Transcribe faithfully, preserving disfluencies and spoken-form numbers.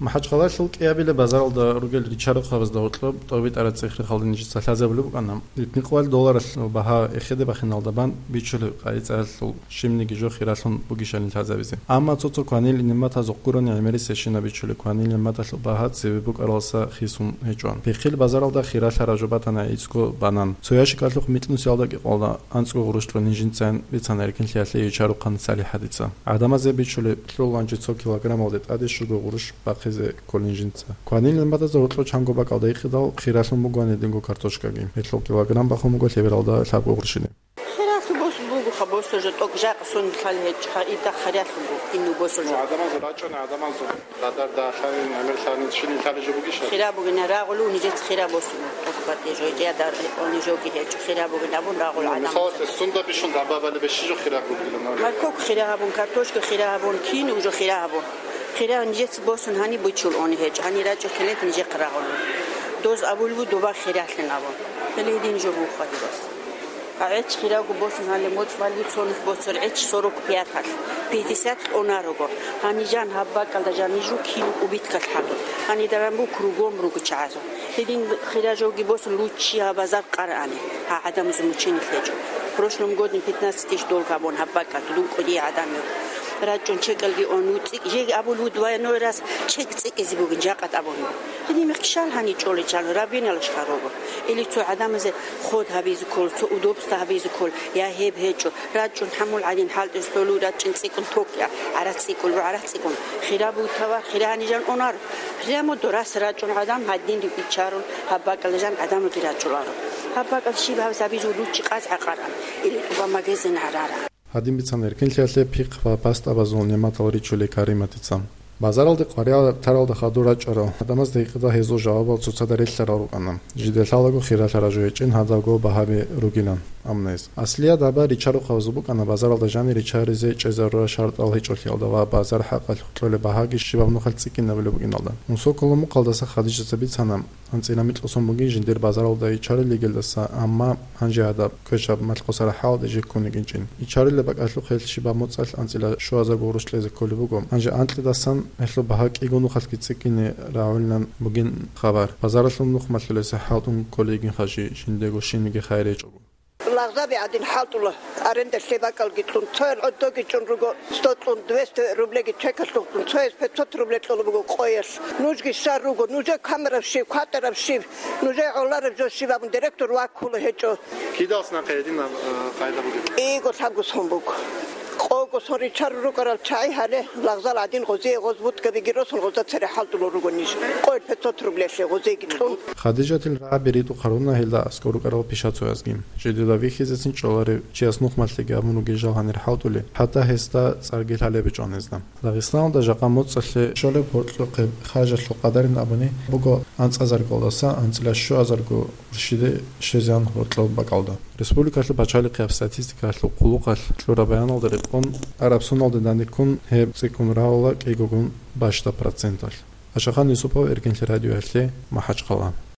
МахӀачхъалалъул кӀиабилеб базаралда ругел ричарухъабазда гьоркьоб тӀобитӀараб цӀех-рехалда нижеца лъазабулеб букӀана. Итни кьвал долларалъул багьа эхеде бахиналда бан бичулеб къайи-цӀаралъул щибниги жо хиралъун бугищали лъазабизе. Амма цо-цо кванил нигӀматазухъ гурони гӀемерисебщинаб бичулеб кванил нигӀматалъул багьа цебе букӀаралдаса хисун гьечӀо. Пихъил базаралда хиралъараб жо батана гӀицӀго банан. Цо ящикалъухъ микьнусиялда кӀикъоялда анцӀго гъурущ кьолин жинцайин бицана эркинлъиялъе ичарухъан СалихӀадица. ГӀадамазе бичулеб лъугьунчи цо килограммалде тӀаде щуго гъурущ бахъизе кколин жинца. Кванил нигӀматазда гьоркьоб чанго бакӀалда гьикъидал, хиралъун буго гьаниб динго картошкаги. Гьелъул килограмм бахун буго лъебералда лъабго гъурщиде. Хиралъу бос буго, ха, босо жо тӀокӀ жакъа сон лъал гьечӀ, ха, идахъ хиралъу буго, инну босо жо. Ну, адамазул рачӀуна, адамазул радар да лъалин, гӀемер лъалин, щинин лъали жо бугищ? Хира бугина, рагъулу нижец хира босун, тӀокӀ батӀи жо, я дар, они жоги гьечӀ, хира бугин абун рагъул. Ну, гӀадамаз. Мисалалъе, сунда бищун дагьба балеб щи жо хира бугилан? Морковка хира гьабун, картошка хира гьабун, кин уже хира гьабун. Хира нижец босун гьани бучул они гьечӀ, гьани рачӀу хилет нижехъ рагъулу. Доз абулбу доба хиралъин абун. Гьеле гьедин жо буго хадирас. А гӀеч хирав босун гьале моцӀ балли цо нух босор гӀеч сорок пяталъ, пятьдесят онар руго. Гьанижан гьаб бакӀалда жанижу кин убиткалъ гьабун. Гьанидаран бу кругом руго чагӀазул. Гьедин хира жоги босун луччи гьаб базар къарани. Гьа гӀадамазул мученилъ гьечӀо. Прошлом годин пятнадцать тысяч долг гьабун гьаб бакӀалда дун кӀудияй гӀадамил. РачӀун чекалги он вуцӀикӀ, жеги абул вуд ваяной раз чек цӀикӀизе бугин жакъа тӀабун. Гьедин мехкишал гьани чӀоличан рабиналаш гьарого. Или цо гӀадамазе ход гьабизе ккол, цо удобство гьабизе ккол, я гьеб гьечӀо, рачӀун хӀамул гӀадин хӀалтӀизе толу рачӀин цӀикӀкӀун ток я, гӀарац цӀикӀкӀун, гӀарац цӀикӀкӀун. Хира бугитава, хира гьанижан онар. Прямо дорас рачӀун гӀадам гьадин рикӀкӀичарун, гьаб бакӀалда жан гӀадамалги рачӀуларо. Гьаб бакӀалда щиб гьабизе гьабизе луччи къаз гӀакъаран, или тӀуба магазин гьараран. Гьадин бицана эркинлъиялъе пихъ ва пастабазул нигӀматал ричулей Кариматица. Базаралде къваригӀел таралда хадур рачӀарал гӀадамазда гьикъидал гьезул жавабал цоцазда релълъарал рукӀана. Жидер лъалаго хиралъараб жо гьечӀин гьадабго багьаби ругилан. Амма гьез. Аслияб дагьба ричарухъабазул букӀана базаралда жанир ричаризе чӀезарурал шартӀал гьечӀолъиялда ва базар хӀакъалъулъ кьолеб багьаги щибаб нухалъ цӀикӀкӀинабулеб букӀиналда. Мусоколо мукъалдаса Хадижаца бицана, анцӀила микьго сон бугин жиндир базаралда ичарил йигелдаса, амма гьанже гьадаб квешаб малъ-хъусараб хӀалалде жи ккун йигинчӀин. Ичарилеб бакӀалъухъ гьел щибаб моцӀалъ анцӀила щуазарго гъурущ кьезе кколеб буго. Гьанже анкьидасан гьелъул багьа кӀиго нухалъги цӀикӀкӀине рагӀулилан бугин хабар. Базаралъул нух малъулеса хӀалтӀун кколей йигин хажи, жиндего щибниги хайир гьечӀого. Лагъзаби гӀадин хӀалтӀула, аренда лъе бакӀалги кьун, цоял гӀодоги чӀун руго, сто кьун, двести рублеги чекалъухъ кьун, цояс пятьсот рубле кьола буго къоялъ. Нужги щар руго, нужер камераб щиб, кватӀараб щиб, нужер гӀолараб жо щиб абун директор ваккула гьечӀо. Кидалъ нахъе гьединаб, э, къайда бугеб? КӀиго лъабго сон буго. Къого сон ричарун рукӀарал чагӀи гьале, лагъзал гӀадин гъозие гъоз бутӀгабиги росун гъозда цере хӀалтӀулел руго ниж. Къоялъ пятьсот рублелъе гъозиеги кьун. Хадижатил рагӀаби ритӀухъ гьаруна гьелда аскӀор рукӀарал пишацоязги. Жидеда вихьизецин чӀоларев чияс нухмалъеги абун ругел жал гьанир хӀалтӀулел, хӀатта гьесда цӀарги лъалеб гьечӀо гьезда. Дагъистаналда жакъа моцӀалъе щолеб гьоркьохъеб хажалъул къадарин абуни буго анцӀазаргалдаса анцӀила щуазарго уршиде щвезегӀан гьоркьоб бакӀалда. Республикалъул пачалихъияб статистикалъул хъулухъалъ кьураб баяналда рекъон, араб соналде данде ккун гьеб цӀикӀкӀун рагӀула кӀигогун бащдаб проценталъ. Ашахан Юсупов, Эркинлъи радиоялъе, МахӀачхъала.